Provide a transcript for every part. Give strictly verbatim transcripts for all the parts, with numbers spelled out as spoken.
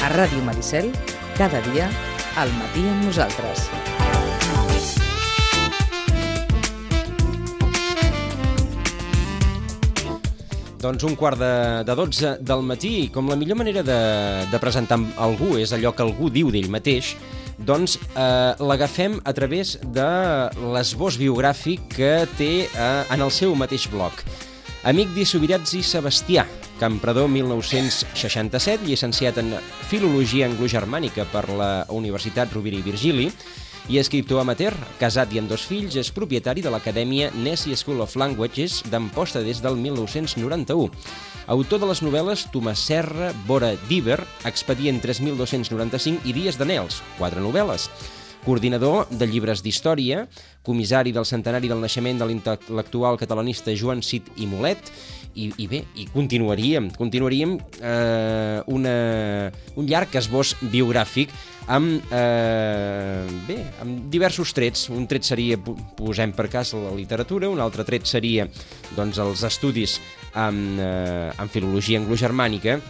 A Ràdio Maricel, cada dia, al matí amb nosaltres. Doncs un quart de, de dotze del matí, com la millor manera de, de presentar algú és allò que algú diu d'ell mateix, doncs eh, l'agafem a través de l'esbós biogràfic que té eh, en el seu mateix blog. Amigdi Subirats i Sebastià, Campredó mil nou-cents seixanta-set, llicenciat en Filologia Anglogermànica per la Universitat Rovira i Virgili i escriptor amateur, casat i amb dos fills, és propietari de l'Acadèmia Nessie School of Languages d'Amposta des del mil nou-cents noranta-u. Autor de les novel·les Tomàs Serra, Vora d'Iber, Expedient tres mil dos-cents noranta-cinc i Dies d'Anels, quatre novel·les. Coordinador de llibres d'història, comissari del centenari del naixement de l'intel·lectual catalanista Joan Cid i Mulet, i, i bé, i continuaríem, continuaríem eh, una, un llarg esbós biogràfic amb, eh, bé, amb diversos trets. Un tret seria, posem per cas, la literatura, un altre tret seria doncs, els estudis en, eh, en filologia anglogermànica,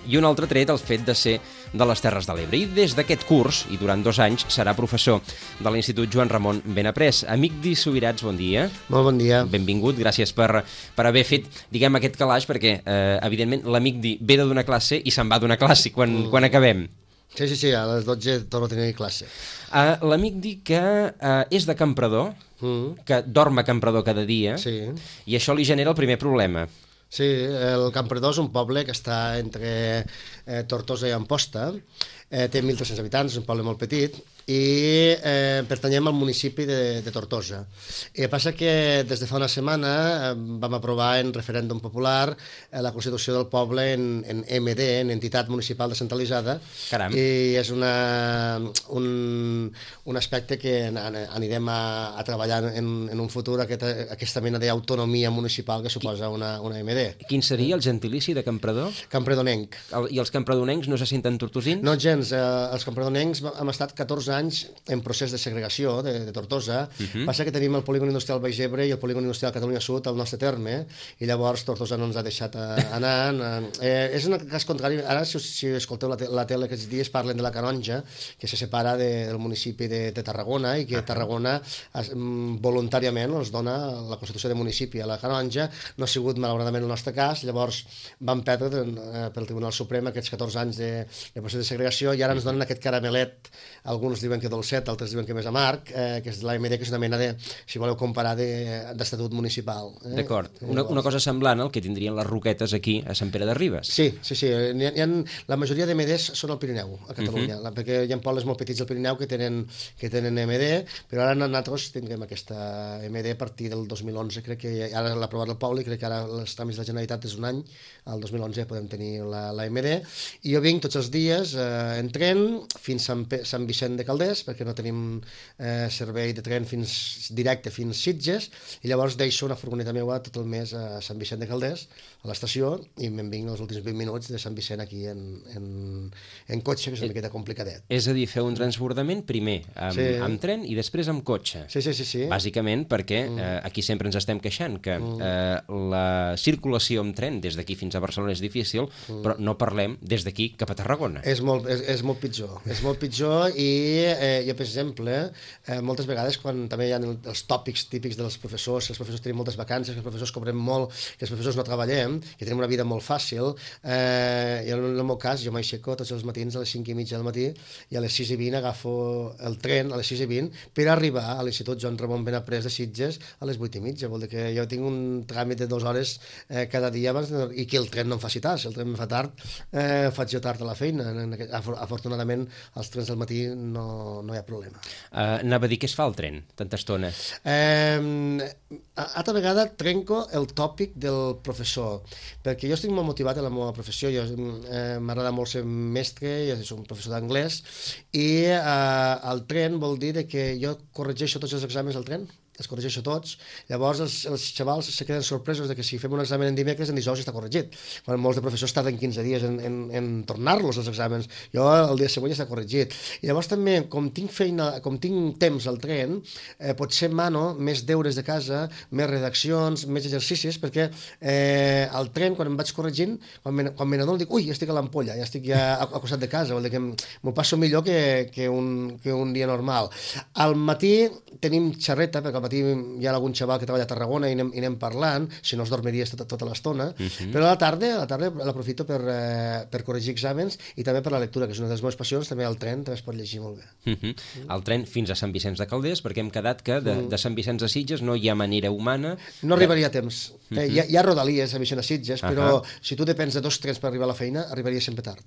i un altre tret el fet de ser de les Terres de l'Ebre. I des d'aquest curs, i durant dos anys, serà professor de l'Institut Joan Ramon Benaprés. Amigdi Subirats, bon dia. Molt bon dia. Benvingut, gràcies per, per haver fet, diguem, aquest calaix, perquè, eh, evidentment, l'Amigdi ve de donar classe i se'n va donar classe quan, mm. quan acabem. Sí, sí, sí, a les dotze torno a tenir classe. Uh, L'Amigdi que uh, és de Campredó, mm. que dorm a Campredó cada dia, sí. I això li genera el primer problema. Sí, el Campredó és un poble que està entre eh, Tortosa i Amposta, eh, té mil tres-cents habitants, és un poble molt petit, i eh, pertanyem al municipi de, de Tortosa. I el que passa que des de fa una setmana eh, vam aprovar en referèndum popular eh, la constitució del poble en, en M D, en entitat municipal descentralitzada. Caram. I és una, un, un aspecte que anirem a, a treballar en, en un futur, aquesta, aquesta mena d'autonomia municipal que suposa una, una M D. Quin seria el gentilici de Campredó? Campredonenc. El, I els campredonencs no se senten tortosins? No gens, eh, els campredonencs hem estat catorze anys en procés de segregació de, de Tortosa. Uh-huh. Passa que tenim el polígon industrial Baix Ebre i el polígon industrial Catalunya Sud al nostre terme, i llavors Tortosa no ens ha deixat anar. Eh, és un cas contrari. Ara, si, si escolteu la, te la tele aquests dies, parlen de la Canonja, que se separa de, del municipi de, de Tarragona, i que Tarragona es, voluntàriament ens dona la Constitució de municipi a la Canonja. No ha sigut, malauradament, el nostre cas. Llavors vam perdre eh, pel Tribunal Suprem aquests catorze anys de, de procés de segregació, i ara ens donen aquest caramelet. Alguns diuen que dolcet, altres diuen que més amarg, eh, que és l'A M D, que és una mena de, si voleu comparar, d'estatut de, municipal. Eh? D'acord. Una, una cosa semblant al que tindrien les Roquetes aquí a Sant Pere de Ribes. Sí, sí, sí. Hi ha, hi ha, la majoria d'M Ds són al Pirineu, a Catalunya, uh -huh. perquè hi ha pobles molt petits al Pirineu que tenen, que tenen M D, però ara nosaltres tinguem aquesta M D a partir del dos mil onze, crec que ara l'ha aprovat el poble, i crec que ara els tràmits de la Generalitat és un any, al dos mil onze podem tenir la, la M D, i jo vinc tots els dies eh, en tren fins a Sant, Sant Vicent de Calders, perquè no tenim eh, servei de tren fins, directe fins Sitges, i llavors deixo una furgoneta meva tot el mes a Sant Vicent de Calders, a l'estació, i me'n vinc els últims vint minuts de Sant Vicent aquí en, en, en cotxe, que és una miqueta complicadet. És a dir, fer un transbordament primer amb, sí. amb tren i després amb cotxe. Sí, sí, sí. sí. Bàsicament perquè mm. eh, aquí sempre ens estem queixant que mm. eh, la circulació amb tren des d'aquí fins a Barcelona és difícil, mm. però no parlem des d'aquí cap a Tarragona. És molt, és, és molt pitjor, és molt pitjor, i eh, jo, per exemple, eh, moltes vegades quan també hi ha els tòpics típics dels professors, que els professors tenim moltes vacances, que els professors cobrem molt, que els professors no treballem, que tenim una vida molt fàcil, eh, i en el meu cas jo m'aixeco tots els matins a les cinc i mitja del matí, i a les sis i vint agafo el tren a les sis i vint per arribar a l'Institut Joan Ramon Benaprés de Sitges a les vuit i mitja. Vol dir que jo tinc un tràmit de dues hores eh, cada dia abans de... i que el tren no em faci tard. Si el tren em fa tard, eh, faig jo tard a la feina. Afortunadament, als trens del matí no, no hi ha problema. Uh, anava a dir què es fa al tren, tanta estona? Eh, altra vegada trenco el tòpic del professor, perquè jo estic molt motivat en la meva professió. Jo eh, m'agrada molt ser mestre, jo soc un professor d'anglès, i eh, el tren vol dir que jo corregeixo tots els exàmens al tren, els corregeixo tots, llavors els, els xavals se queden sorpresos de que si fem un examen en dimecres, en dijous està corregit, quan molts de professors tarden quinze dies en, en, en tornar-los els exàmens, jo el dia següent ja està corregit. I llavors també, com tinc feina, com tinc temps al tren, eh, potser mano més deures de casa, més redaccions, més exercicis, perquè eh, al tren, quan em vaig corregint, quan me, quan me n'adono, dic, ui, ja estic a l'ampolla, ja estic ja al costat de casa, vol dir que m'ho passo millor que, que, un, que un dia normal. Al matí tenim xerreta, perquè al matí hi ha algun xaval que treballa a Tarragona i anem, i anem parlant, si no es dormiries tota, tota l'estona, uh -huh. però a la tarda, a la tarda l'aprofito per, eh, per corregir exàmens i també per la lectura, que és una de les meves passions, també al tren també es pot llegir molt bé. Uh -huh. Mm. El tren fins a Sant Vicenç de Calders, perquè hem quedat que de, de Sant Vicenç a Sitges no hi ha manera humana... No arribaria a temps. Uh -huh. eh, hi, ha, hi ha rodalies a Vicenç a Sitges, però uh -huh. si tu depens de dos trens per arribar a la feina, arribaria sempre tard.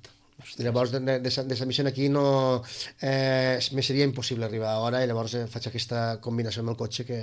Llavors, de, de, de Sant Vicent aquí no... Eh, me seria impossible arribar a hora i llavors eh, faig aquesta combinació amb el cotxe que...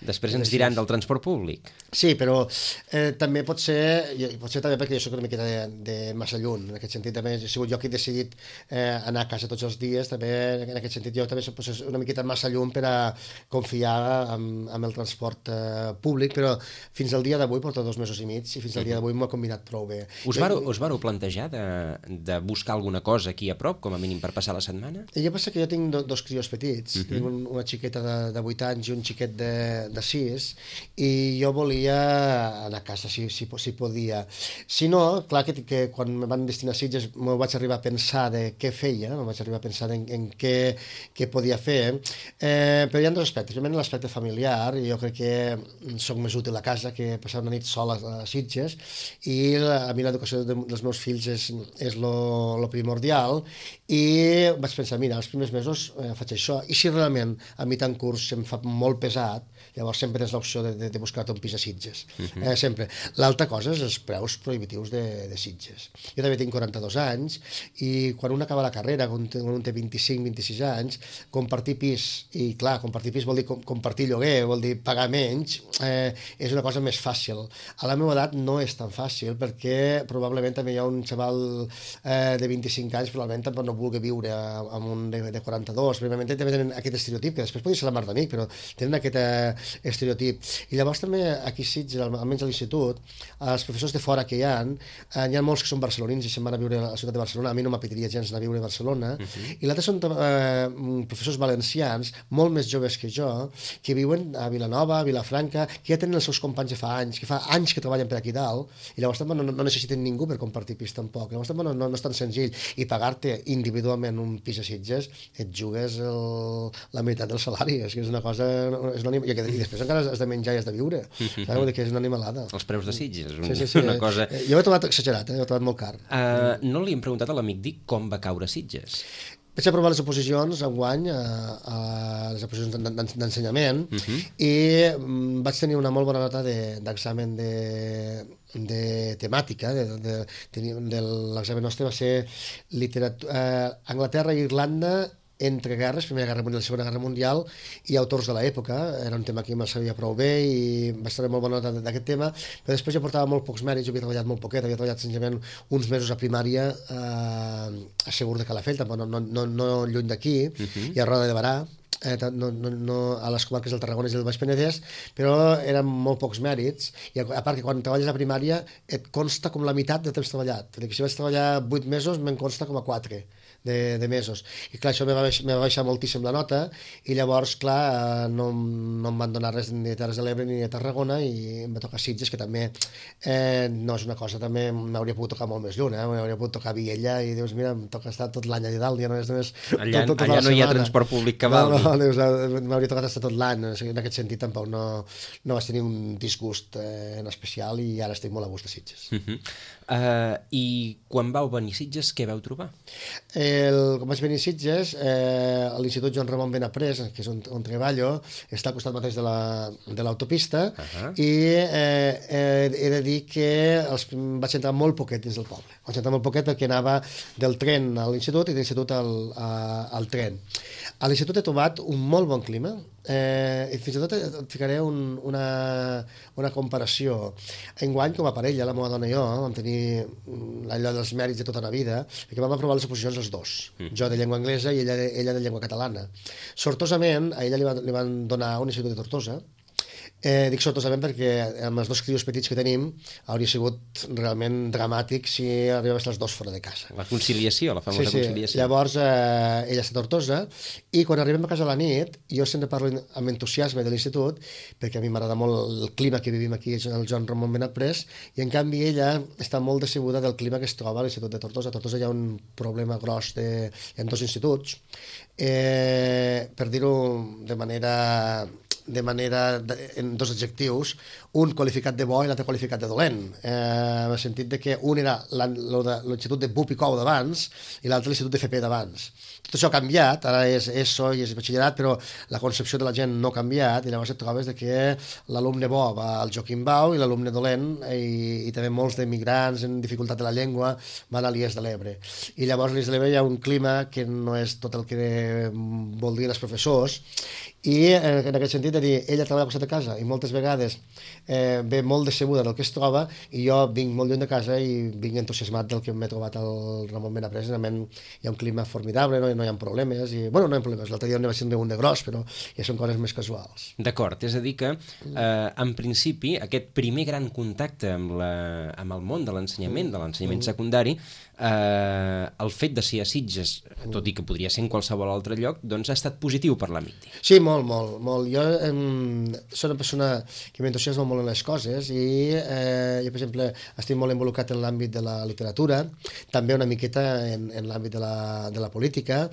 Després ens diran del transport públic. Sí, però eh, també pot ser, pot ser també perquè jo soc una miqueta de, de massa lluny, en aquest sentit també he sigut jo qui he decidit eh, anar a casa tots els dies, també en aquest sentit jo també soc una miqueta massa lluny per a confiar en, en el transport eh, públic, però fins al dia d'avui, porto dos mesos i mig, i fins al dia d'avui m'ho he combinat prou bé. Us vareu, us vareu plantejar de, de buscar alguna cosa aquí a prop, com a mínim per passar la setmana? I jo penso que jo tinc do, dos crios petits, uh -huh. tinc un, una xiqueta de, de vuit anys i un xiquet de, de sis, i jo volia anar a casa si, si, si podia. Si no, clar que, que quan me van destinar a Sitges m'ho vaig arribar a pensar de què feia, m'ho vaig arribar a pensar en, en què, què podia fer, eh, però hi ha dos aspectes. Primer, l'aspecte familiar, jo crec que soc més útil a casa que passar una nit sola a Sitges, i la, a mi l'educació de, dels meus fills és, és lo, lo primordial, i vaig pensar, mira, els primers mesos eh, faig això, i si realment a mi tant curs se'm fa molt pesat, llavors sempre tens l'opció de, de, de buscar-te un pis a Sitges, uh -huh. eh, sempre. L'altra cosa és els preus prohibitius de, de Sitges. Jo també tinc quaranta-dos anys, i quan un acaba la carrera, quan un té vint-i-cinc vint-i-sis anys, compartir pis, i clar, compartir pis vol dir com, compartir lloguer, vol dir pagar menys, eh, és una cosa més fàcil. A la meva edat no és tan fàcil, perquè probablement també hi ha un xaval eh, de vint-i-cinc anys, probablement tampoc no vulgui viure amb un de, de quaranta-dos, probablement també tenen aquest estereotip, que després podria ser la mar d'amic, però tenen aquest eh, estereotip. I llavors també aquí a Sitges, almenys a l'institut, els professors de fora que hi ha, eh, hi ha molts que són barcelonins i se'n van a viure a la ciutat de Barcelona, a mi no m'apetitaria gens anar a viure a Barcelona, uh -huh. i l'altre són eh, professors valencians, molt més joves que jo, que viuen a Vilanova, a Vilafranca, que ja tenen els seus companys de fa anys, que fa anys que treballen per aquí dalt, i llavors també no, no necessiten ningú per compartir pis tampoc, llavors també no, no, no és tan senzill, i pagar-te individualment un pis a Sitges, et jugues el, la meitat del salari, és que és una cosa, és una, i, i després encara has de menjar i has de viure, saps? Que és una animalada. Els preus de Sitges, sí, sí, sí, una cosa... Jo ho he trobat exagerat, eh? Ho he trobat molt car. Uh, no li hem preguntat a l'amic Dic com va caure Sitges? Vaig aprovar les oposicions enguany, a, a les oposicions d'ensenyament, uh -huh. i um, vaig tenir una molt bona nota d'examen de, de, de temàtica, de, de, de, de l'examen nostre va ser literatura, eh, Anglaterra i Irlanda entre guerres, Primera Guerra Mundial i Segona Guerra Mundial, i autors de l'època. Era un tema que me'l sabia prou bé i vaig tenir molt bona nota d'aquest tema, però després jo portava molt pocs mèrits, jo havia treballat molt poquet, havia treballat senzillament uns mesos a primària eh, a Segur de Calafell, tampoc no, no, no, no lluny d'aquí, uh -huh. i a Roda de Barà, eh, no, no, no, a les comarques del Tarragona i del Baix Penedès, però eren molt pocs mèrits, i a, a part que quan treballes a primària et consta com la meitat de temps treballat. Que si vaig treballar vuit mesos me'n consta com a quatre de, de mesos, i clar, això me va, baixar, me va baixar moltíssim la nota, i llavors clar, no, no em van donar res ni de Terres de l'Ebre ni de Tarragona, i em va tocar Sitges, que també eh, no és una cosa, també m'hauria pogut tocar molt més lluny, eh? M'hauria pogut tocar Viella, i dius, mira, em toca estar tot l'any allà dalt, ja no és només allà, tot, tot allà no hi ha setmana. Transport públic que valgui. No, no, m'hauria tocat estar tot l'any, en aquest sentit tampoc no, no vaig tenir un disgust eh, en especial, i ara estic molt a gust a Sitges. Uh -huh. uh, I quan vau venir a Sitges, què vau trobar? El, quan vaig venir a Sitges, eh, a l'Institut Joan Ramon Benaprés, que és on, on treballo, està al costat mateix de l'autopista, la, uh -huh. i eh, eh, he de dir que els, vaig entrar molt poquet dins del poble. Vaig entrar molt poquet perquè anava del tren a l'Institut i de l'Institut al, a, al tren. A l'Institut he trobat un molt bon clima, eh, i fins i tot et ficaré un, una, una comparació. Enguany, com a parella, la meva dona i jo, vam tenir allò dels mèrits de tota la vida, perquè vam aprovar les oposicions els dos, mm. jo de llengua anglesa i ella de, ella de llengua catalana. Sortosament, a ella li, va, li van donar un institut de Tortosa, Eh, dic sortosament perquè amb els dos crios petits que tenim hauria sigut realment dramàtic si arribés les dos fora de casa. La conciliació, la famosa sí, sí. conciliació. Llavors, eh, ella està a Tortosa, i quan arribem a casa a la nit, jo sempre parlo amb entusiasme de l'institut, perquè a mi m'agrada molt el clima que vivim aquí, el Joan Ramon Benaprés, i en canvi ella està molt decebuda del clima que es troba a l'Institut de Tortosa. A Tortosa hi ha un problema gros de... Hi ha dos instituts, eh, per dir-ho de manera... de manera, de, en dos adjectius, un qualificat de bo i l'altre qualificat de dolent, eh, en el sentit de que un era l'Institut de Bup i Cou d'abans i l'altre l'Institut de F P d'abans. Tot això ha canviat, ara és ESO i és batxillerat, però la concepció de la gent no ha canviat, i llavors et trobes de que l'alumne bo va al Joaquim Bau i l'alumne dolent, i, i també molts d'emigrants en dificultat de la llengua van a l'I E S de l'Ebre. I llavors a l'I E S de l'Ebre hi ha un clima que no és tot el que voldrien els professors, i en aquest sentit de dir, ella treballa al costat de casa i moltes vegades eh, ve molt decebuda del que es troba, i jo vinc molt lluny de casa i vinc entusiasmat del que m'he trobat al Ramon Benaprés. Realment hi ha un clima formidable, no, no hi ha problemes, i, bueno, no hi ha problemes, l'altre dia n'hi va ser un de gros, però ja són coses més casuals. D'acord, és a dir que eh, en principi aquest primer gran contacte amb, la, amb el món de l'ensenyament, de l'ensenyament secundari, eh, el fet de ser a Sitges, tot i que podria ser en qualsevol altre lloc, doncs ha estat positiu per l'Amity. Sí, molt, molt, molt. Jo eh, soc una persona que m'entusiasma molt en les coses, i eh, jo, per exemple, estic molt involucrat en l'àmbit de la literatura, també una miqueta en, en l'àmbit de, la, de la política,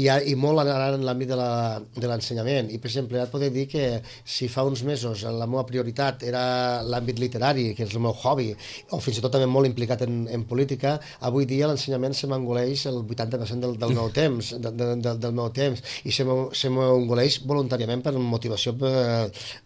i, i molt ara en l'àmbit de l'ensenyament. I, per exemple, ara et podria dir que si fa uns mesos la meva prioritat era l'àmbit literari, que és el meu hobby, o fins i tot també molt implicat en, en política, avui dia l'ensenyament se m'engoleix el vuitanta per cent del, del meu temps, de, de, de, del meu temps, i se m'engoleix voluntàriament per motivació, per,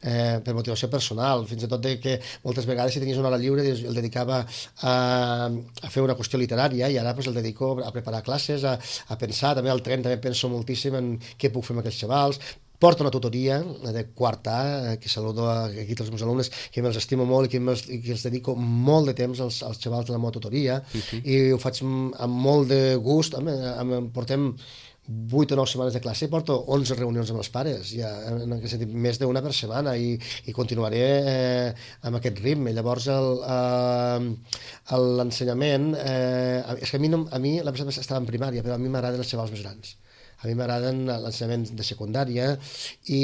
eh, per motivació personal, fins i tot de que moltes vegades si tenies una hora lliure el dedicava a, a fer una qüestió literària, i ara pues, el dedico a preparar classes, a, a pensar, també al tren també penso moltíssim en què puc fer amb aquests xavals. Porto una tutoria de quart A, que saludo aquí tots els meus alumnes, que me'ls estimo molt i que, i que els dedico molt de temps als, als xavals de la meva tutoria, uh-huh. i ho faig amb molt de gust. Amb, amb, portem vuit o nou setmanes de classe i porto onze reunions amb els pares, ja, en aquest sentit, més d'una per setmana, i, i continuaré eh, amb aquest ritme. Llavors eh, l'ensenyament eh, és que a mi, no, a mi la persona estava en primària, però a mi m'agraden els xavals més grans. A mi m'agraden l'ensenyament de secundària, i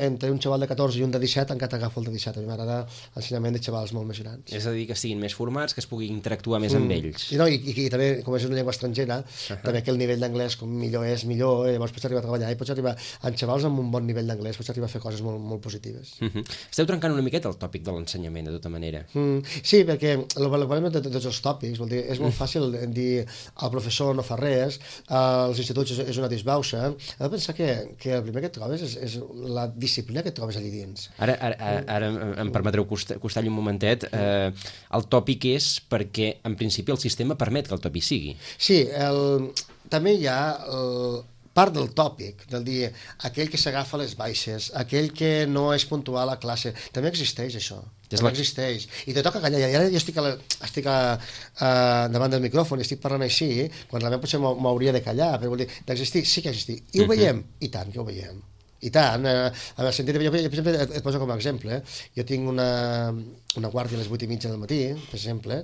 entre un xaval de catorze i un de disset encara agafo el de disset. A mi m'agrada l'ensenyament de xavals molt més grans. És a dir, que estiguin més formats, que es pugui interactuar més mm. amb ells. I, no, i, i, i també, com és una llengua estrangera, uh-huh. també que el nivell d'anglès com millor és millor, i llavors pots arribar a treballar i pots arribar amb xavals amb un bon nivell d'anglès, pots arribar a fer coses molt, molt positives. Uh-huh. Esteu trencant una miqueta el tòpic de l'ensenyament, de tota manera. Mm, sí, perquè el problema de, de tots els tòpics, vol dir, és molt fàcil dir el professor no fa res, als instituts és, és una disbauxa. Has de pensar que, que el primer que et trobes és, és la disciplina que et trobes allí dins. Ara, ara, ara em permetreu costar-hi un momentet. Eh, el tòpic és perquè, en principi, el sistema permet que el tòpic sigui. Sí, el, també hi ha el, part del tòpic, del dir aquell que s'agafa les baixes, aquell que no és puntual a classe, també existeix això. També la... existeix. I te toca callar. I ara jo estic, a la, estic a, a, davant del micròfon i estic parlant així, quan realment potser m'hauria de callar, però vol dir, d'existir, sí que existir. I ho uh-huh. veiem? I tant que ho veiem. I tant. Eh, en el sentit de, jo, per exemple, et, et poso com a exemple. Jo tinc una, una guàrdia a les vuit i mitja del matí, per exemple,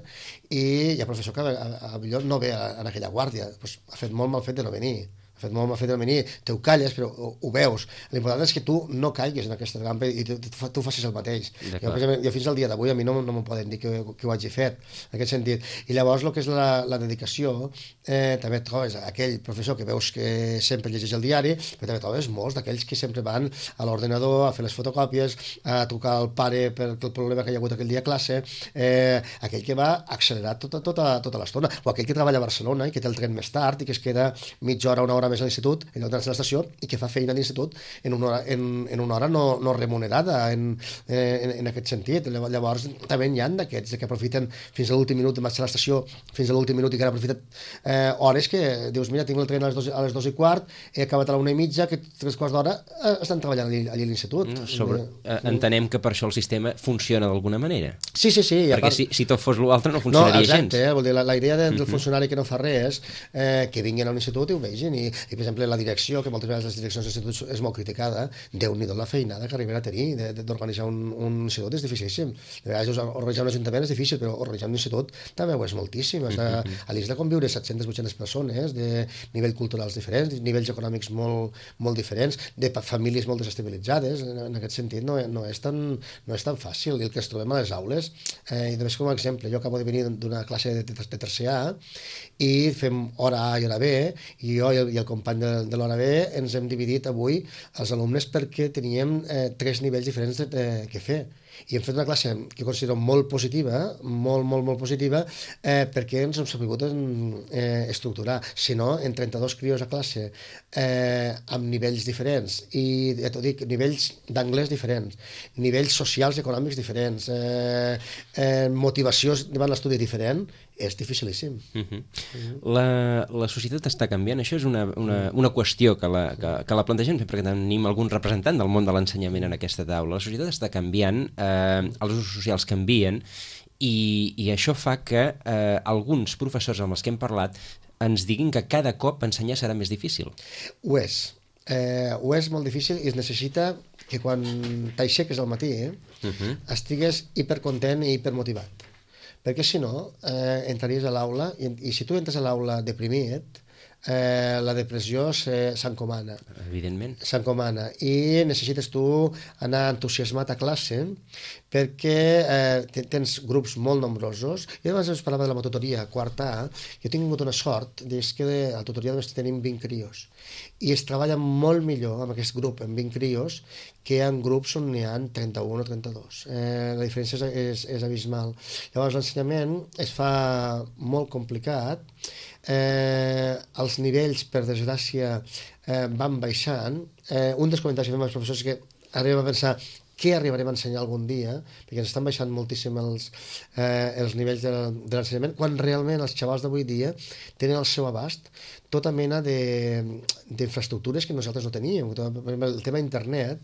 i hi ha professor que a, a, a millor no ve a, a aquella guàrdia. Pues, ha fet molt mal fet de no venir. Ha fet molt mal fet de venir, te ho calles, però ho, ho veus. L'important és que tu no caiguis en aquesta trampa i tu, tu, tu facis el mateix. Jo, jo fins al dia d'avui a mi no, no m'ho poden dir que, que ho hagi fet, en aquest sentit. I llavors el que és la, la dedicació, eh, també et trobes aquell professor que veus que sempre llegeix el diari, però també trobes molts d'aquells que sempre van a l'ordenador a fer les fotocòpies, a trucar al pare per el problema que hi ha hagut aquell dia a classe, eh, aquell que va accelerar tota, tota, tota l'estona, o aquell que treballa a Barcelona i que té el tren més tard i que es queda mitja hora, una hora més a l'institut, en lloc d'anar a l'estació, i que fa feina a l'institut en una hora, en, en una hora no, no remunerada en, en, en aquest sentit. Llavors també n'hi ha d'aquests que aprofiten fins a l'últim minut de marxar a l'estació, fins a l'últim minut, i que han aprofitat eh, hores que dius, mira, tinc el tren a les dos, a les dos i quart, he acabat a la una i mitja, que tres quarts d'hora eh, estan treballant allí, allí a l'institut. No, sobre, eh, entenem que per això el sistema funciona d'alguna manera. Sí, sí, sí. Perquè part... si, si tot fos l'altre no funcionaria no, exacte, gens. Eh, vol dir, la, la idea de, del funcionari que no fa res, eh, que vinguin a l'institut i ho vegin, i i, per exemple, la direcció, que moltes vegades les direccions d'instituts és molt criticada, Déu-n'hi-do la feinada que arriben a tenir d'organitzar un, un institut és dificilíssim. De vegades organitzar un ajuntament és difícil, però organitzar un institut també ho és moltíssim. Has de, a l'I S de conviure set-centes vuit-centes persones de nivells culturals diferents, de nivells econòmics molt, molt diferents, de famílies molt desestabilitzades. En, en aquest sentit no, no, és tan, no és tan fàcil. I el que ens trobem a les aules, eh, i només com a exemple, jo acabo de venir d'una classe de, de, de tercer A i fem hora A i hora B, i jo i el, i el company de, de l'hora B ens hem dividit avui els alumnes perquè teníem eh, tres nivells diferents de, de, que fer. I hem fet una classe que considero molt positiva, molt, molt, molt positiva, eh, perquè ens hem sabut eh, estructurar. Si no, en trenta-dos crios a classe, eh, amb nivells diferents, i ja t'ho dic, nivells d'anglès diferents, nivells socials i econòmics diferents, eh, eh, motivació davant l'estudi diferent, és dificilíssim. Uh -huh. uh -huh. La, la societat està canviant. Això és una, una, una qüestió que la, que, que la plantegem perquè tenim algun representant del món de l'ensenyament en aquesta taula. La societat està canviant, eh, els usos socials canvien i, i això fa que eh, alguns professors amb els que hem parlat ens diguin que cada cop ensenyar serà més difícil. Ho és. Eh, ho és molt difícil i es necessita que quan t'aixeques al matí eh, uh -huh. estigues hipercontent i hipermotivat. Perquè si no, eh, entraries a l'aula i, i si tu entres a l'aula deprimit, eh, la depressió s'encomana. Evidentment. S'encomana. I necessites tu anar entusiasmat a classe perquè eh, tens grups molt nombrosos. I abans us parlava de la tutoria quarta A. Jo he tingut una sort, és que a la tutoria només tenim vint crios. I es treballa molt millor amb aquest grup, amb vint crios, que en grups on n'hi ha trenta-un o trenta-dos. Eh, la diferència és, és, és abismal. Llavors, l'ensenyament es fa molt complicat. Eh, els nivells, per desgràcia, eh, van baixant. Eh, un dels comentaris que fem als professors és que arribem a pensar què arribarem a ensenyar algun dia, perquè ens estan baixant moltíssim els, eh, els nivells de, de l'ensenyament, quan realment els xavals d'avui dia tenen al seu abast tota mena d'infraestructures que nosaltres no teníem. El tema internet,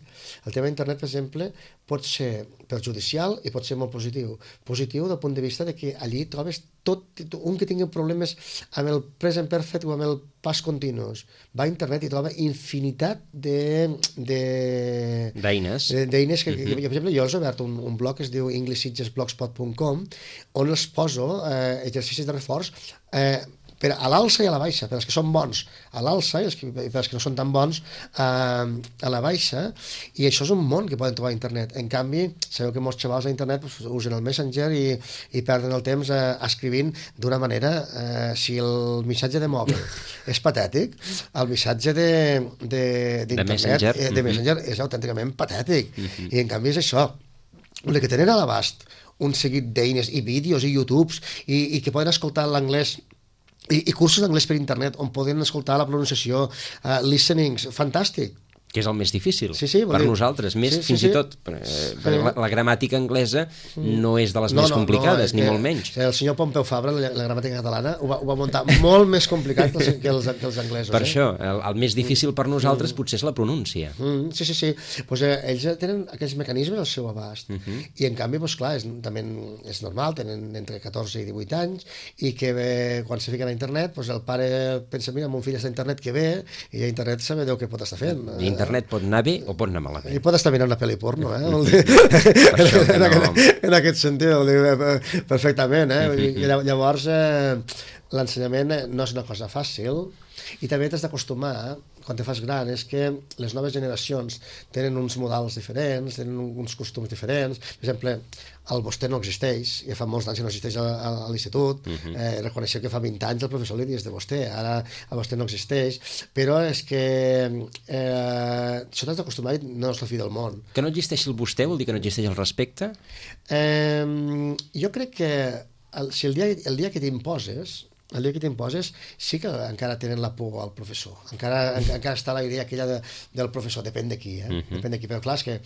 el tema internet, per exemple, pot ser perjudicial i pot ser molt positiu. Positiu del punt de vista de que allí trobes tot, un que tingui problemes amb el present perfect o amb el pas continus. Va a internet i troba infinitat de... d'eines. D'eines que, que, per exemple, jo els he obert un, un blog que es diu english sitges blogspot punt com on els poso eh, exercicis de reforç eh, per a l'alça i a la baixa, per als que són bons a l'alça i per als que no són tan bons eh, a la baixa, i això és un món que poden trobar a internet. En canvi, sabeu que molts xavals a internet pues, usen el Messenger i, i perden el temps eh, escrivint d'una manera, eh, si el missatge de mòbil és patètic, el missatge d'internet, de, de, de Messenger, eh, de Messenger mm -hmm. és autènticament patètic, mm -hmm. i en canvi és això, el que tenen a l'abast un seguit d'eines i vídeos i YouTubes i, i que poden escoltar l'anglès I, i cursos d'anglès per internet on poden escoltar la pronunciació, uh, listenings, fantàstic. Que és el més difícil sí, sí, per dir... nosaltres, més sí, sí, fins sí. i tot eh, sí. la, la gramàtica anglesa no és de les no, més no, complicades, no, ni que, molt menys. El senyor Pompeu Fabra, la, la gramàtica catalana, ho va, ho va muntar molt més complicat que els, que els, que els anglesos. Per eh? això, el, el més difícil per nosaltres mm. potser és la pronúncia. Mm, sí, sí, sí. Pues, eh, ells tenen aquells mecanismes al seu abast. Mm -hmm. I en canvi, pues, clar, és, també és normal, tenen entre catorze i divuit anys, i que eh, quan se fiquen a internet, pues, el pare pensa, mira, mon fill està a internet que ve, i a internet sabe Déu què pot estar fent. I internet pot anar bé o pot anar malament. I pot estar mirant una pel·li porno, eh? Mm. en, no. aquest, en aquest sentit, perfectament, eh? I llavors, eh, l'ensenyament no és una cosa fàcil, i també t'has d'acostumar, quan te fas gran, és que les noves generacions tenen uns modals diferents, tenen uns costums diferents. Per exemple, el vostè no existeix, ja fa molts anys que no existeix a, a, a l'institut, uh -huh. eh, reconeixeu que fa vint anys el professor li dius de vostè, ara el vostè no existeix, però és que eh, això t'has d'acostumar i no és la fi del món. Que no existeixi el vostè vol dir que no existeix el respecte? Eh, jo crec que el, si el dia, el dia que t'imposes, el dia que t'imposes sí que encara tenen la por al professor, encara, en, encara està la idea aquella de, del professor, depèn de qui, eh? Uh-huh. Depèn de qui, però clar, és que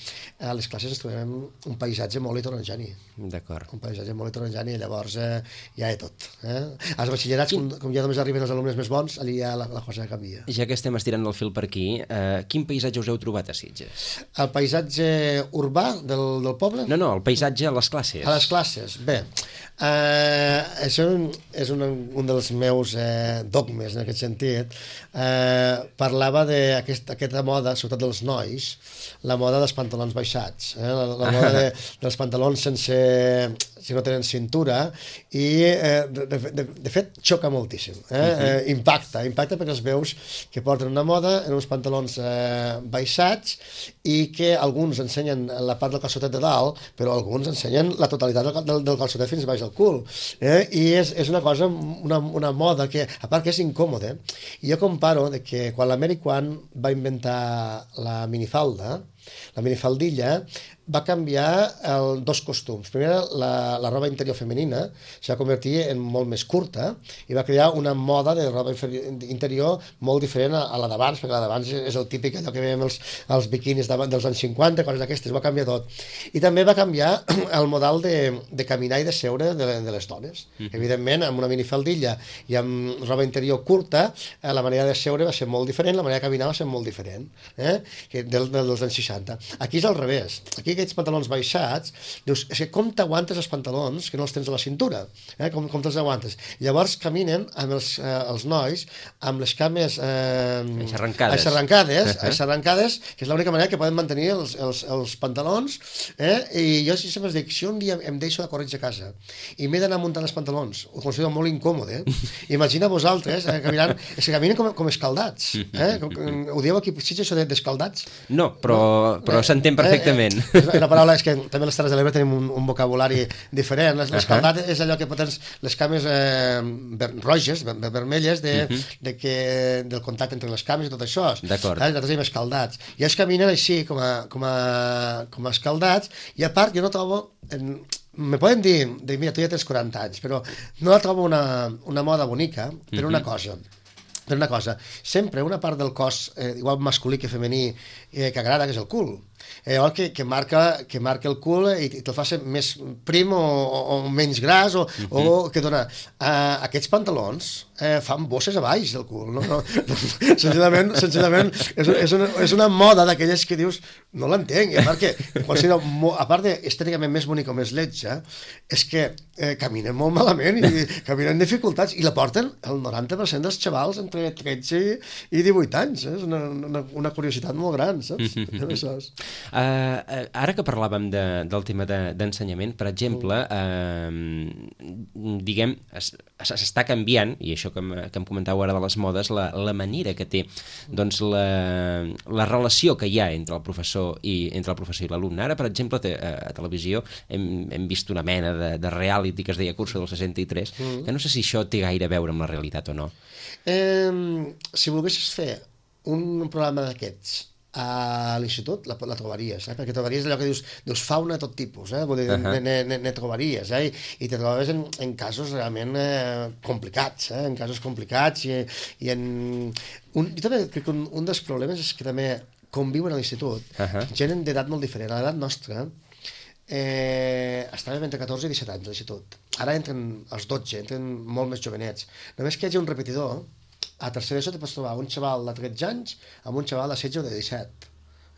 a les classes ens trobem un paisatge molt heterogeni. D'acord. Un paisatge molt heterogeni, i llavors eh, ja és tot. Eh? Als batxillerats, com, com ja només arriben els alumnes més bons, allà ja la, la cosa canvia. Ja que estem estirant el fil per aquí, eh, quin paisatge us heu trobat a Sitges? El paisatge urbà del, del poble? No, no, el paisatge a les classes. A les classes, bé. Eh, això és un, un dels meus eh, dogmes en aquest sentit, eh, parlava d'aquesta aquesta moda, sobretot dels nois, la moda dels pantalons baixats, eh? la, la moda de, dels pantalons sense, si no tenen cintura, i eh, de, de, de fet xoca moltíssim, eh? Uh-huh. eh, impacta, impacta perquè els veus que porten una moda en uns pantalons eh, baixats i que alguns ensenyen la part del calçotet de dalt, però alguns ensenyen la totalitat del, del, del calçotet fins baix del cul, eh? I és, és una cosa, una, una moda que, a part que és incòmode, i jo comparo de que quan l'Americ One va inventar la minifalda, la minifaldilla, va canviar el, dos costums. Primer, la, la roba interior femenina s'ha convertit en molt més curta i va crear una moda de roba interior molt diferent a, a la d'abans, perquè la d'abans és el típic allò que veiem els, els biquinis dels anys cinquanta, coses d'aquestes, va canviar tot. I també va canviar el model de, de caminar i de seure de, de les dones. Mm. Evidentment, amb una minifaldilla i amb roba interior curta, eh, la manera de seure va ser molt diferent, la manera de caminar va ser molt diferent, eh? que del, del, dels anys seixanta. Aquí és al revés. Aquí aquests pantalons baixats, dius, és que com t'aguantes els pantalons que no els tens a la cintura? Eh? Com, com te'ls aguantes? Llavors caminen amb els, eh, els nois amb les cames eh, aixarrancades, aixarrancades, aixarrancades, que és l'única manera que poden mantenir els, els, els pantalons, eh? I jo sempre dic, si un dia em deixo de corretge a casa i m'he d'anar muntant els pantalons, ho considero molt incòmode, eh? Imagina vosaltres eh, caminant, és que caminen com, com escaldats, eh? Com, com, ho dieu aquí, si això d'escaldats? No, però, no? però eh, s'entén perfectament. Eh, eh, la paraula és que també a les Terres de l'Ebre tenim un, un vocabulari diferent. L'escaldat uh -huh. és allò que tens les cames eh, ver, roges, ver, vermelles de, uh -huh. de que, del contacte entre les cames i tot això. D'acord. Eh? Nosaltres diem escaldats. I ells caminen així com a, com a, com a escaldats, i a part jo no trobo... En, me poden dir, de, mira, tu ja tens quaranta anys, però no la trobo una, una moda bonica per uh -huh. una cosa. Per una cosa, sempre una part del cos, eh, igual masculí que femení, eh, que agrada, que és el cul. Eh, que, que, marca, que marca el cul i, i te'l fa ser més prim o, o, o menys gras o, uh -huh. o que dona... Uh, aquests pantalons eh, fan bosses a baix del cul, no? no, no senzillament, senzillament és, és, una, és una moda d'aquelles que dius no l'entenc, i a part que a part d'estèticament més bonic o més lletja, és que eh, caminen molt malament i caminen dificultats i la porten el noranta per cent dels xavals entre tretze i divuit anys, eh? És una, una, una curiositat molt gran, saps? Uh -huh. Uh, ara que parlàvem de, del tema d'ensenyament, de, per exemple, uh, diguem, s'està canviant, i això que em, que em comentàveu ara de les modes, la, la manera que té doncs, la, la relació que hi ha entre el professor i entre el professor i l'alumne. Ara, per exemple, a, a televisió hem, hem vist una mena de, de reality que es deia Curso del seixanta-tres, mm. que no sé si això té gaire a veure amb la realitat o no. Eh, si volguessis fer un programa d'aquests a l'institut la, la trobaries, eh? Perquè trobaries allò que dius, dius fauna de tot tipus, eh? Vull dir, uh -huh. ne, ne, ne trobaries, eh? I, i te trobaves en, en casos realment eh, complicats, eh? En casos complicats i, i en... Un, jo també crec que un, un dels problemes és que també conviuen a l'institut uh -huh. gent d'edat molt diferent. A l'edat nostra eh, estàvem entre catorze i disset anys a l'institut. Ara entren els dotze, entren molt més jovenets. Només que hi hagi un repetidor, a tercer d'ESO te pots trobar un xaval de tretze anys amb un xaval de setze o de disset.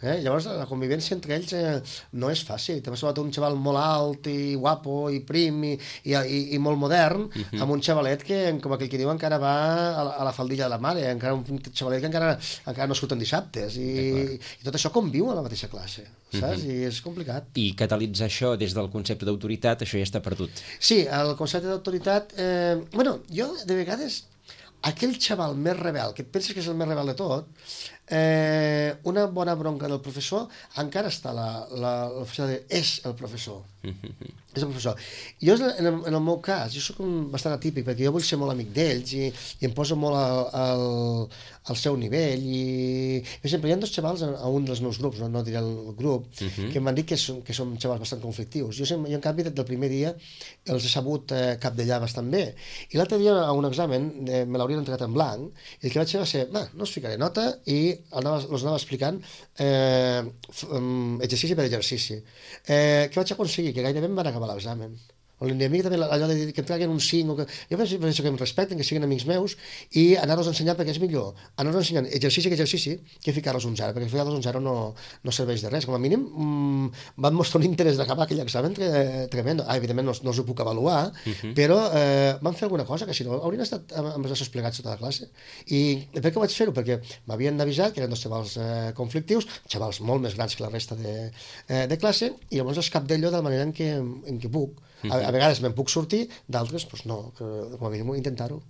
Eh? Llavors la convivència entre ells eh, no és fàcil. Te pots trobar un xaval molt alt i guapo i prim i, i, i, i molt modern, uh -huh. amb un xavalet que, com aquell que diu, encara va a la, a la faldilla de la mare, encara un xavalet que encara, encara no surten dissabtes, i, i tot això conviu a la mateixa classe, saps? Uh -huh. I és complicat. I catalitzar això des del concepte d'autoritat, això ja està perdut. Sí, el concepte d'autoritat... Eh, bueno, jo de vegades... Aquell xaval més rebel, que et penses que és el més rebel de tot, eh, una bona bronca del professor, encara està la, la, la de és el professor. Mm-hmm. És el professor. Jo, en el, en el meu cas, jo soc un, bastant atípic, perquè jo vull ser molt amic d'ells i, i em poso molt al, al, al seu nivell. I, per exemple, hi ha dos xavals a, a un dels meus grups, no, no diré el grup, mm-hmm. que m'han dit que són, que són xavals bastant conflictius. Jo, jo, en canvi, des del primer dia els he sabut eh, capdellar bastant bé. I l'altre dia, a un examen, eh, me l'haurien entregat en blanc, i el que vaig fer va ser, no us ficaré nota, i anava, els anava explicant eh, exercici per exercici. Eh, què vaig aconseguir? Que gairebé em van acabar l'examen. O una mica també allò de dir que em traguen un cinc, o que... jo penso, penso que em respecten, que siguin amics meus, i anar-los ensenyant perquè és millor. Anar-los ensenyant exercici que exercici, que ficar-los un zero, perquè ficar-los un zero no, no serveix de res. Com a mínim mmm, van mostrar un interès d'acabar aquell examen tre tremendo. Ah, evidentment no, no us ho puc avaluar, uh -huh. però eh, van fer alguna cosa que si no haurien estat amb els braços plegats tota la classe. I per què vaig fer-ho? Perquè m'havien avisat que eren dos xavals eh, conflictius, xavals molt més grans que la resta de, eh, de classe, i llavors es cap d'ello de la manera en què, en què puc. A, a vegades me'n puc sortir, d'altres doncs no, que, com a mínim intentar-ho.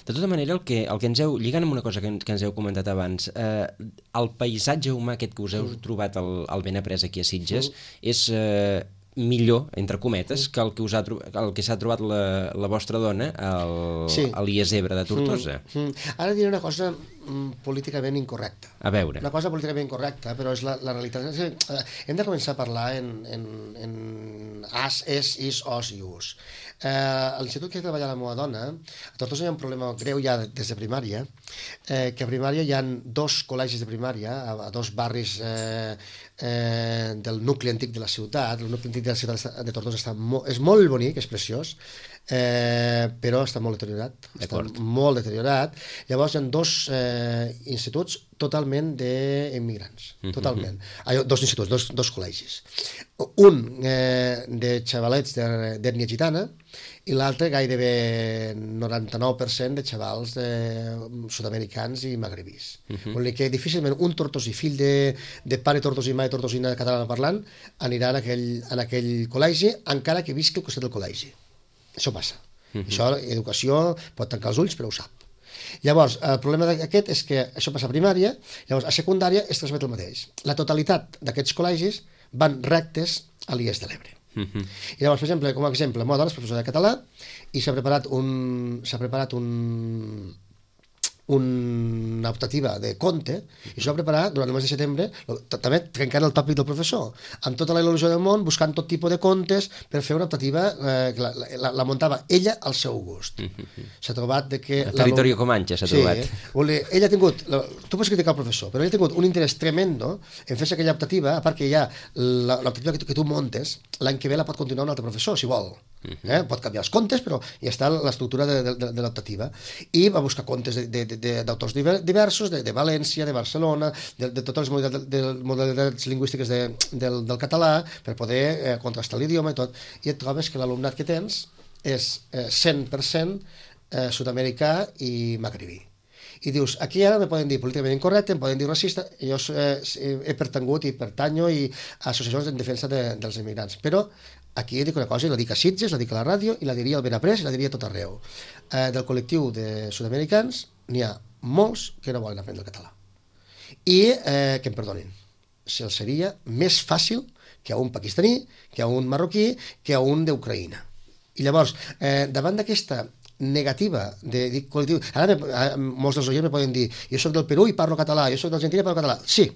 De tota manera, el que, el que ens heu, lligant amb una cosa que, que ens heu comentat abans, eh, el paisatge humà aquest que us heu mm. trobat al, al Benaprés aquí a Sitges mm. és eh, millor, entre cometes, mm. que el que us ha el que s'ha trobat la, la vostra dona al, sí. a l'I E S Ebre de Tortosa. Mm. Mm. Ara diré una cosa políticament incorrecta. A veure. Una cosa políticament incorrecta, però és la, la realitat. És que, eh, hem de començar a parlar en, en, en as, es, is, os i us. Eh, a l'institut que treballa la meva dona, a Tortosa hi ha un problema greu ja des de primària, eh, que a primària hi ha dos col·legis de primària, a, a dos barris eh, eh, del nucli antic de la ciutat. El nucli antic de la ciutat de Tortosa està mo és molt bonic, és preciós, eh, però està molt deteriorat. Està molt deteriorat. Llavors hi ha dos eh, instituts totalment d'immigrants, totalment. Mm-hmm. ah, dos instituts, dos, dos col·legis. Un eh, de xavalets d'ètnia gitana i l'altre gairebé noranta-nou per cent de xavals eh, sud-americans i magrebís. Mm-hmm. Vol dir que difícilment un tortosí, fill de, de pare tortosí i mare tortosina catalana parlant, anirà en aquell, en aquell col·legi, encara que visqui al costat del col·legi. Això passa. Mm-hmm. Això, educació, pot tancar els ulls, però ho sap. Llavors, el problema d'aquest és que això passa a primària, llavors a secundària es transmet el mateix. La totalitat d'aquests col·legis van rectes a l'I E S de l'Ebre. Uh-huh. I llavors, per exemple, com a exemple, la meva dona és professora de català i s'ha preparat un s'ha preparat un una optativa de conte i això va preparar durant el mes de setembre, també trencant el tòpic del professor, amb tota la il·lusió del món, buscant tot tipus de contes per fer una optativa eh, que la, la, la muntava ella al seu gust. S'ha trobat de que... El territori Comanche s'ha sí, trobat. Vol dir, ella ha tingut, tu pots criticar el professor, però ella ha tingut un interès tremendo en fer aquella optativa, a part que ja l'optativa que, que tu montes, l'any que ve la pot continuar un altre professor, si vol. Eh? Pot canviar els contes, però ja està l'estructura de, de, de l'optativa. I va buscar contes d'autors diversos, de, de València, de Barcelona, de, de totes les modalitats, de, modalitats lingüístiques de, del, del català, per poder eh, contrastar l'idioma i tot. I et trobes que l'alumnat que tens és eh, cent per cent eh, sud-americà i magrebí. I dius, aquí ara me poden dir políticament incorrecte, em poden dir racista, jo eh, he pertangut i pertanyo i a associacions en defensa de, dels immigrants. Però aquí dic una cosa, i la dic a Sitges, la dic a la ràdio, i la diria al Benaprés, i la diria a tot arreu. Eh, del col·lectiu de sud-americans n'hi ha molts que no volen aprendre el català. I eh, que em perdonin, se'ls seria més fàcil que a un pakistaní, que a un marroquí, que a un d'Ucraïna. I llavors, eh, davant d'aquesta negativa de dir col·lectiu, ara me, molts dels oients me poden dir, jo soc del Perú i parlo català, jo soc d'Argentina i parlo català. Sí,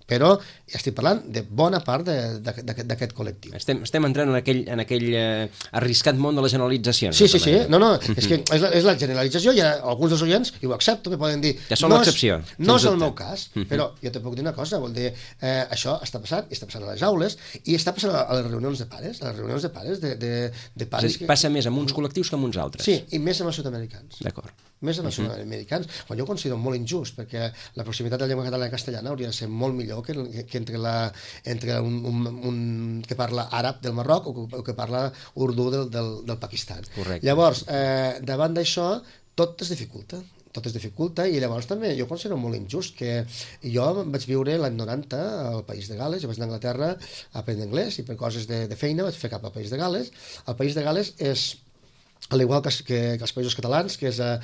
però ja estic parlant de bona part d'aquest col·lectiu. Estem, estem entrant en aquell, en aquell eh, arriscat món de les generalitzacions. Sí, sí, sí. No, no, és que és la, és la generalització i alguns dels oients, i ho accepto, me poden dir... Ja són no l'excepció. És, no és el meu cas, però jo te puc dir una cosa, vol dir, eh, això està passant, i està passant a les aules, i està passant a les reunions de pares, a les reunions de pares, de, de, de pares... Sí, que... Passa més amb uns col·lectius que amb uns altres. Sí, i més amb els sud-americans. D'acord. Més amb els uh -huh. sud-americans, quan jo ho considero molt injust, perquè la proximitat de la llengua catalana i castellana hauria de ser molt millor que, que entre, la, entre un, un, un que parla àrab del Marroc o que, o que parla urdú del, del, del Pakistan. Correcte. Llavors, eh, davant d'això, tot es dificulta. tot es dificulta, i llavors també jo considero molt injust que jo vaig viure l'any noranta al País de Gales, jo vaig anar a Anglaterra a aprendre anglès i per coses de, de feina vaig fer cap al País de Gales. El País de Gales és al igual que, que, que els països catalans, que és, eh,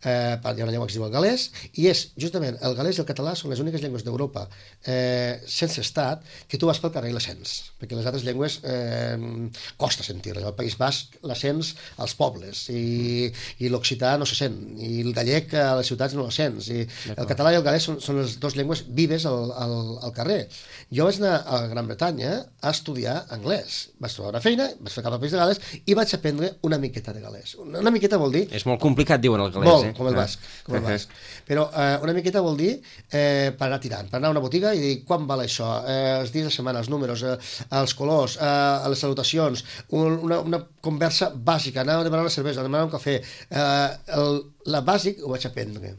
hi ha una llengua que es diu el galès, i és, justament, el galès i el català són les úniques llengües d'Europa eh, sense estat que tu vas pel carrer i les sents, perquè les altres llengües eh, costa sentir-les. Al País Basc les sents als pobles, i, i l'occità no se sent, i el gallec a les ciutats no la sents, i el català i el galès són, són les dues llengües vives al, al, al carrer. Jo vaig anar a Gran Bretanya a estudiar anglès, vaig trobar una feina, vaig fer cap al País de Gales i vaig aprendre una miqueta de galès. galès. Una miqueta vol dir... És molt complicat, diuen el galès, molt, eh? com el basc. Com el basc. Però eh, una miqueta vol dir eh, per anar tirant, per anar a una botiga i dir quan val això, eh, els dies de setmana, els números, eh, els colors, eh, les salutacions, un, una, una conversa bàsica, anar a demanar una cervesa, a demanar un cafè. Eh, el, la bàsic ho vaig aprendre.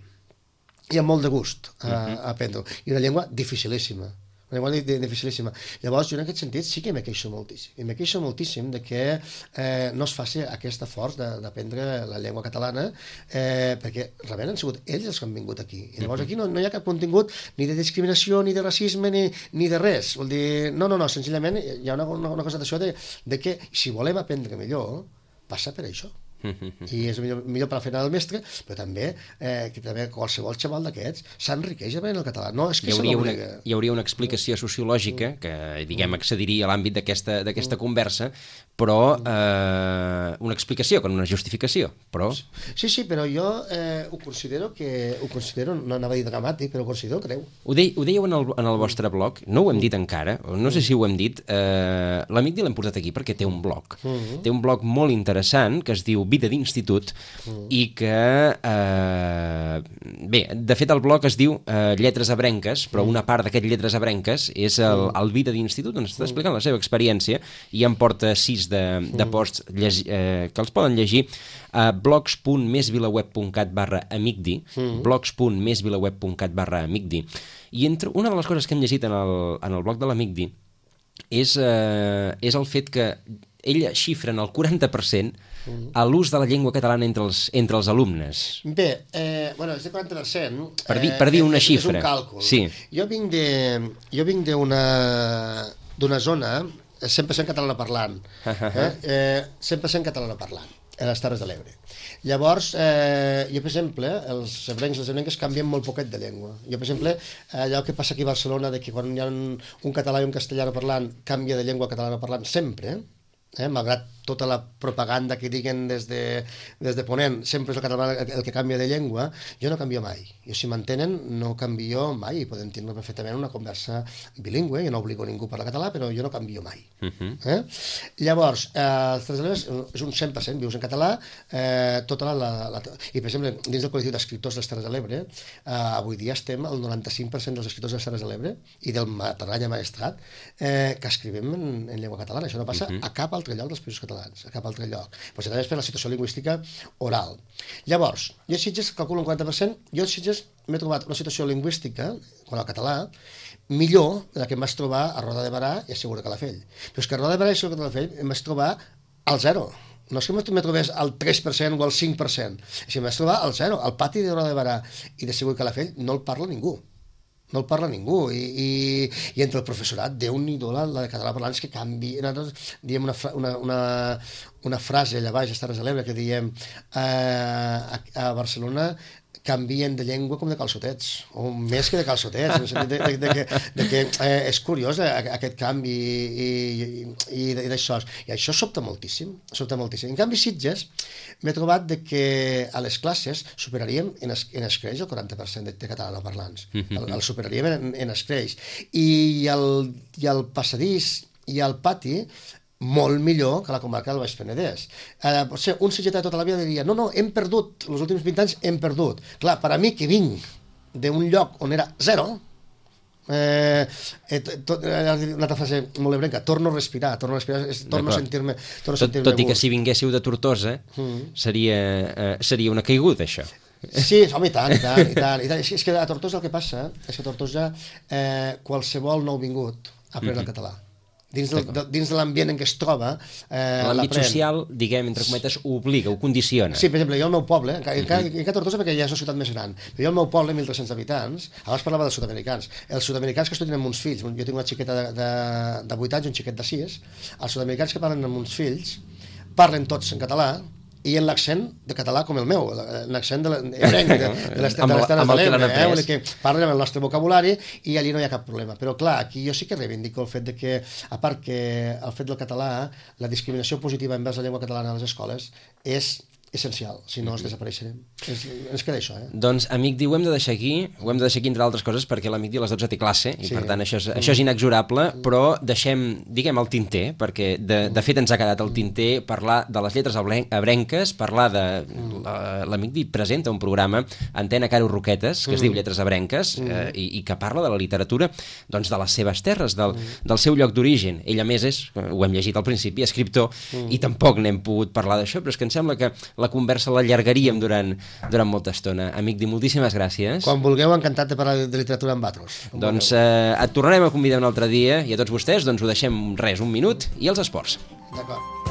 I amb molt de gust a, a aprendre. I una llengua dificilíssima. Una llengua dificilíssima. Llavors, jo en aquest sentit sí que me queixo moltíssim. I me queixo moltíssim de que eh, no es faci aquest esforç d'aprendre la llengua catalana, eh, perquè realment han sigut ells els que han vingut aquí. I llavors aquí no, no hi ha cap contingut ni de discriminació, ni de racisme, ni, ni de res. Vol dir, no, no, no, senzillament hi ha una, una, una cosa d'això de, de que si volem aprendre millor, passa per això. I és millor, millor per la feina del mestre, però també eh, que també qualsevol xaval d'aquests s'enriqueix aprenent el català. No, és que hi hauria, una, hi hauria una explicació sociològica que, diguem, accediria a l'àmbit d'aquesta d'aquesta conversa, però eh, una explicació, com una justificació, però... Sí, sí, però jo eh, ho considero que, ho considero, no anava a dir dramàtic, però ho considero greu. Ho, de, ho dèieu en el, en el vostre blog, no ho hem dit encara, no sé si ho hem dit, eh, l'Amic Di l'hem portat aquí perquè té un blog. Té un blog molt interessant que es diu Vida d'Institut, mm. i que eh, bé, de fet el blog es diu eh, Lletres Ebrenques, però una part d'aquest Lletres Ebrenques és el, el Vida d'Institut, on està explicant la seva experiència, i en porta sis de, de posts llegi, eh, que els poden llegir a blogs punt més vilaweb punt cat barra amicdi, mm. blogs punt més vilaweb punt cat barra amicdi. I entre una de les coses que hem llegit en el, en el blog de l'Amicdi és, eh, és el fet que ella xifra en el quaranta per cent a l'ús de la llengua catalana entre els, entre els alumnes. Bé, eh, bueno, és de quaranta per cent. Per dir, per dir una eh, xifra. És un càlcul. Sí. Jo vinc de, jo vinc d'una d'una zona cent per cent catalana parlant. Eh? Eh, cent per cent catalana parlant, a les Terres de l'Ebre. Llavors, eh, jo, per exemple, els ebrencs i les ebrenques canvien molt poquet de llengua. Jo, per exemple, allò que passa aquí a Barcelona, de que quan hi ha un, un català i un castellano parlant, canvia de llengua catalana parlant sempre, eh, malgrat tota la propaganda que diguen des de, des de Ponent, sempre és el català el que canvia de llengua, jo no canvio mai. Jo, si m'entenen, no canvio mai, i podem tindre perfectament una conversa bilingüe, jo no obligo ningú a parlar català, però jo no canvio mai. Uh-huh. eh? Llavors, eh, els Terres de l'Ebre és un cent per cent, vius en català, eh, tota la, la, la... I, per exemple, dins del col·lectiu d'escriptors dels Terres de l'Ebre, eh, avui dia estem al noranta-cinc per cent dels escriptors dels Terres de l'Ebre i del Matarranya Maestrat eh, que escrivim en, en llengua catalana. Això no passa uh-huh. a cap altre lloc dels països catalans, a cap altre lloc. Però també és per la situació lingüística oral. Llavors, jo a Sitges calculo un quaranta per cent, jo a Sitges m'he trobat una situació lingüística, quan al català, millor de la que em vaig trobar a Roda de Barà i a Segur de Calafell. Però és que a Roda de Barà i a Segur de Calafell em vaig trobar al zero. No és que me trobés al tres per cent o al cinc per cent, és que em vaig trobar al zero. Al pati de Roda de Barà i de Segur de Calafell no el parla ningú. No el parla ningú, i, i, i entre el professorat, Déu-n'hi-do la, la de català parlant, és que canvi. Nosaltres diem una, una, una, una frase allà baix, a Terres de l'Ebre, que diem eh, a, a Barcelona canvien de llengua com de calçotets, o més que de calçotets, en el sentit de, de, de que, de que eh, és curiós eh, aquest canvi i, i, i, i d'això. I això sobta moltíssim, sobta moltíssim. En canvi, Sitges, m'he trobat de que a les classes superaríem en, es, en escreix el quaranta per cent de, de catalanoparlants. El, el superaríem en, en escreix. I el, I el passadís i el pati molt millor que la comarca del Baix Penedès. Eh, potser un sitgetà de tota la vida diria no, no, hem perdut, els últims vint anys hem perdut. Clar, per a mi que vinc d'un lloc on era zero, eh, eh, tot, eh, una altra frase molt ebrenca, torno a respirar, torno a respirar, és, torno a sentir-me torno a sentir-me tot, tot i que si vinguéssiu de Tortosa, mm. seria, eh, seria una caiguda, això. Sí, home, i tant, i tant, i tant, i tant. És que a Tortosa el que passa és que a Tortosa eh, qualsevol nou vingut aprèn mm-hmm. el català. Dins, del, de, dins de l'ambient en què es troba eh, l'àmbit social, diguem, entre cometes, ho obliga, ho condiciona. Sí, per exemple, jo al meu poble, encara, encara, encara Tortosa perquè ja és una ciutat més gran, però jo al meu poble, mil tres-cents habitants, abans parlava dels sud-americans, els sud-americans que estudien amb uns fills, jo tinc una xiqueta de, de, de vuit anys i un xiquet de sis, els sud-americans que parlen amb uns fills parlen tots en català, i en l'accent de català com el meu, l'accent de l'ebrenc, de, de les Terres de l'Ebre, eh, que parlen amb el nostre vocabulari i allí no hi ha cap problema. Però clar, aquí jo sí que reivindico el fet de que, a part que el fet del català, la discriminació positiva envers la llengua catalana a les escoles és essencial, si no, mm-hmm. desapareixerem. Es, ens queda això, eh? Doncs, amic Di, ho hem de deixar aquí, ho hem de deixar aquí entre altres coses, perquè l'amic Di a les dotze té classe, i sí. per tant això és, mm. això és inexorable, però deixem, diguem, el tinter, perquè de, de fet ens ha quedat el tinter parlar de les lletres abrenques, parlar de... L'amic Di presenta un programa, Antena Caro Roquetes, que es mm. diu Lletres Abrenques, mm. eh, i, i que parla de la literatura, doncs de les seves terres, del, mm. del seu lloc d'origen. Ell, a més, és, ho hem llegit al principi, escriptor, mm. i tampoc n'hem pogut parlar d'això, però és que em sembla que la conversa l'allargaríem durant, durant molta estona. Amic Di, moltíssimes gràcies. Quan vulgueu, encantat de parlar de literatura amb vosaltres. Doncs eh, et tornarem a convidar un altre dia, i a tots vostès doncs ho deixem res, un minut, i els esports. D'acord.